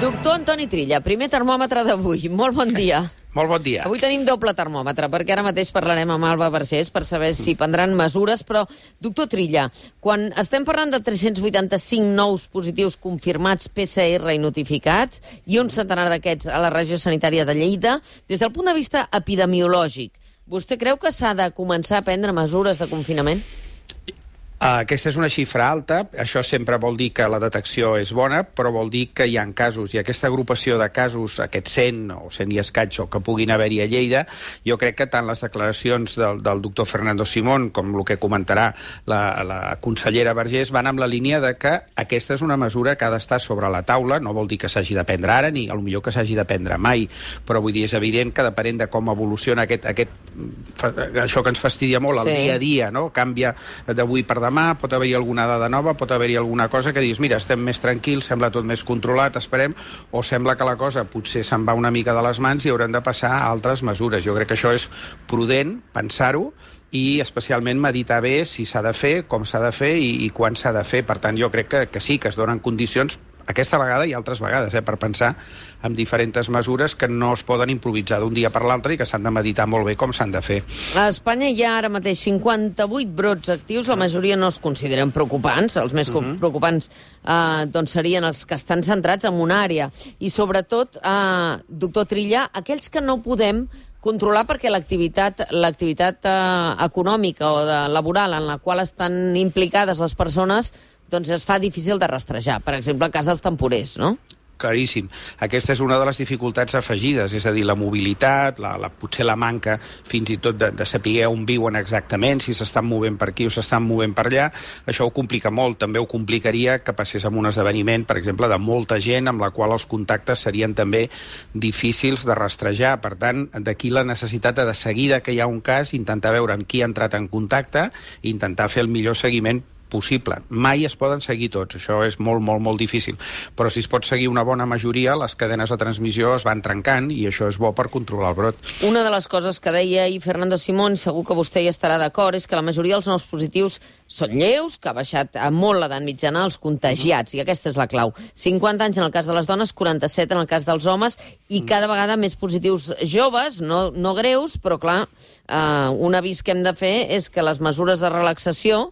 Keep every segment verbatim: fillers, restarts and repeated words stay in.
Doctor Antoni Trilla, primer termòmetre d'avui. Molt bon dia. Molt bon dia. Avui tenim doble termòmetre, perquè ara mateix parlarem amb Alba Vergés per saber si prendran mesures, però, doctor Trilla, quan estem parlant de tres-cents vuitanta-cinc nous positius confirmats P C R i notificats, i un centenar d'aquests a la regió sanitària de Lleida, des del punt de vista epidemiològic, vostè creu que s'ha de començar a prendre mesures de confinament? Aquesta és una xifra alta, això sempre vol dir que la detecció és bona, però vol dir que hi ha casos, i aquesta agrupació de casos, aquests cent o cent i escaig o que puguin haver-hi a Lleida, jo crec que tant les declaracions del, del doctor Fernando Simón com el que comentarà la, la consellera Vergés van amb la línia de que aquesta és una mesura que ha d'estar sobre la taula, no vol dir que s'hagi de prendre ara, ni potser que s'hagi de prendre mai, però vull dir, és evident que depenent de com evoluciona aquest, aquest, això que ens fastidia molt, el sí. dia a dia, no? Canvia d'avui per demà, pot haver-hi alguna dada nova, pot haver-hi alguna cosa que dius, mira, estem més tranquils, sembla tot més controlat, esperem, o sembla que la cosa potser se'n va una mica de les mans i haurem de passar a altres mesures. Jo crec que això és prudent, pensar-ho, i especialment meditar bé si s'ha de fer, com s'ha de fer i, i quan s'ha de fer. Per tant, jo crec que, que sí, que es donen condicions aquesta vegada i altres vegades, eh, per pensar en diferents mesures que no es poden improvisar d'un dia per l'altre i que s'han de meditar molt bé com s'han de fer. A Espanya hi ha ara mateix cinquanta-vuit brots actius, la majoria no es consideren preocupants, els més uh-huh. preocupants eh, doncs serien els que estan centrats en una àrea. I sobretot, eh, doctor Trilla, aquells que no podem controlar perquè l'activitat l'activitat eh, econòmica o de, laboral en la qual estan implicades les persones doncs es fa difícil de rastrejar. Per exemple, el cas dels temporers, no? Claríssim. Aquesta és una de les dificultats afegides, és a dir, la mobilitat, la, la, potser la manca fins i tot de, de saber on viuen exactament, si s'estan movent per aquí o s'estan movent per allà, això ho complica molt. També ho complicaria que passés amb un esdeveniment, per exemple, de molta gent amb la qual els contactes serien també difícils de rastrejar. Per tant, d'aquí la necessitat de, de seguida que hi ha un cas, intentar veure amb qui ha entrat en contacte i intentar fer el millor seguiment possible. Mai es poden seguir tots, això és molt, molt, molt difícil. Però si es pot seguir una bona majoria, les cadenes de transmissió es van trencant i això és bo per controlar el brot. Una de les coses que deia ahir Fernando Simón, segur que vostè hi estarà d'acord, és que la majoria dels nous positius són lleus, que ha baixat molt l'edat mitjana als contagiats, i aquesta és la clau. cinquanta anys en el cas de les dones, quaranta-set en el cas dels homes, i cada vegada més positius joves, no, no greus, però clar, eh, un avís que hem de fer és que les mesures de relaxació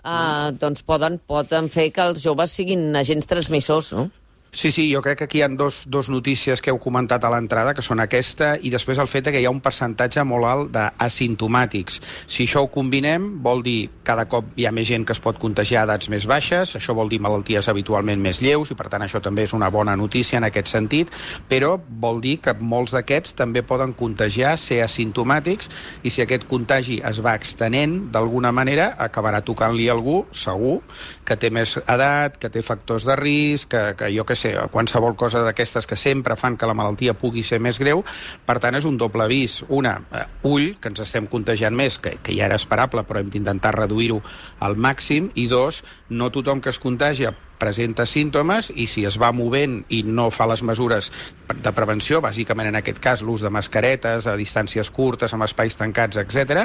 Uh, doncs poden, poden fer que els joves siguin agents transmissors, no? Sí, sí, jo crec que aquí hi ha dos, dos notícies que heu comentat a l'entrada, que són aquesta, i després el fet que hi ha un percentatge molt alt d'asimptomàtics. Si això ho combinem, vol dir cada cop hi ha més gent que es pot contagiar a edats més baixes, això vol dir malalties habitualment més lleus, i per tant això també és una bona notícia en aquest sentit, però vol dir que molts d'aquests també poden contagiar, ser asimptomàtics, i si aquest contagi es va extenent, d'alguna manera acabarà tocant-li a algú, segur, que té més edat, que té factors de risc, que, que jo que sé, qualsevol cosa d'aquestes que sempre fan que la malaltia pugui ser més greu. Per tant, és un doble avís. Una, eh, ull, que ens estem contagiant més, que, que ja era esperable, però hem d'intentar reduir-ho al màxim. I dos, no tothom que es contagia presenta símptomes i si es va movent i no fa les mesures de prevenció, bàsicament en aquest cas l'ús de mascaretes a distàncies curtes, amb espais tancats, etcètera,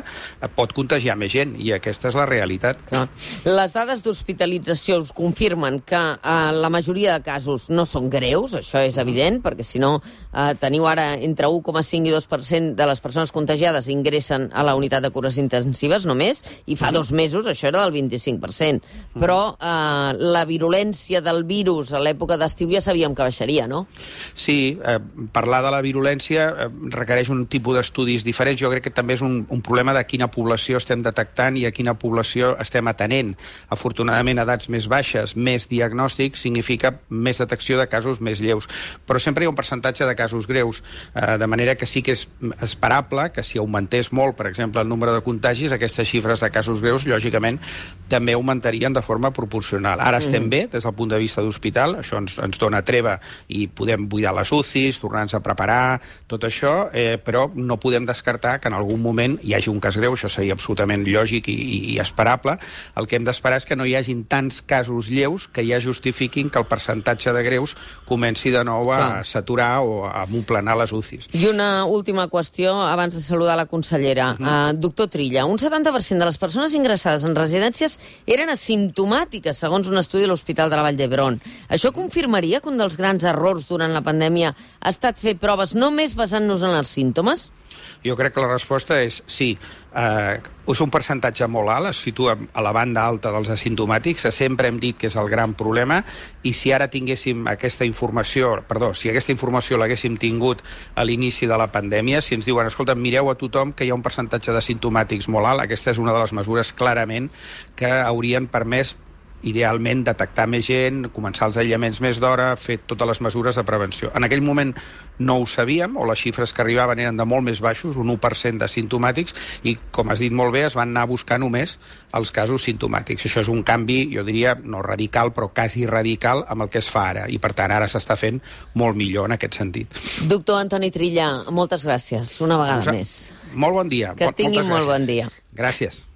pot contagiar més gent i aquesta és la realitat. Clar. Les dades d'hospitalització us confirmen que eh, la majoria de casos no són greus, això és evident, perquè si no eh, teniu ara entre un coma cinc i dos per cent de les persones contagiades ingressen a la unitat de cures intensives només, i fa dos mesos això era del vint-i-cinc per cent. Però eh, la virulència del virus a l'època d'estiu ja sabíem que baixaria, no? Sí, eh, parlar de la virulència eh, requereix un tipus d'estudis diferents. Jo crec que també és un, un problema de quina població estem detectant i a quina població estem atenent. Afortunadament, edats més baixes, més diagnòstic, significa més detecció de casos més lleus. Però sempre hi ha un percentatge de casos greus, eh, de manera que sí que és esperable que si augmentés molt, per exemple, el nombre de contagis, aquestes xifres de casos greus, lògicament, també augmentarien de forma proporcional. Ara estem mm. bé, des del punt de vista d'hospital, això ens, ens dona treva i podem buidar les U C Is, tornar-nos a preparar, tot això, eh, però no podem descartar que en algun moment hi hagi un cas greu, això seria absolutament lògic i, i esperable. El que hem d'esperar és que no hi hagin tants casos lleus que ja justifiquin que el percentatge de greus comenci de nou a Clar. saturar o a moplenar les U C Is. I una última qüestió, abans de saludar la consellera. Uh -huh. uh, doctor Trilla, un setanta per cent de les persones ingressades en residències eren asimptomàtiques, segons un estudi de l'Hospital l'Hospital de la Vall d'Hebron. Això confirmaria que un dels grans errors durant la pandèmia ha estat fer proves només basant-nos en els símptomes? Jo crec que la resposta és sí. Eh, és un percentatge molt alt, es situa a la banda alta dels asimptomàtics, sempre hem dit que és el gran problema, i si ara tinguéssim aquesta informació, perdó, si aquesta informació l'haguéssim tingut a l'inici de la pandèmia, si ens diuen, escolta, mireu a tothom que hi ha un percentatge d'asimptomàtics molt alt, aquesta és una de les mesures clarament que haurien permès idealment detectar més gent, començar els aïllaments més d'hora, fer totes les mesures de prevenció. En aquell moment no ho sabíem, o les xifres que arribaven eren de molt més baixos, un u per cent de simptomàtics, i, com has dit molt bé, es van anar a buscar només els casos simptomàtics. Això és un canvi, jo diria, no radical, però quasi radical amb el que es fa ara, i per tant ara s'està fent molt millor en aquest sentit. Doctor Antoni Trilla, moltes gràcies, una vegada Us... més. Molt bon dia. Que tingui molt bon dia. Gràcies.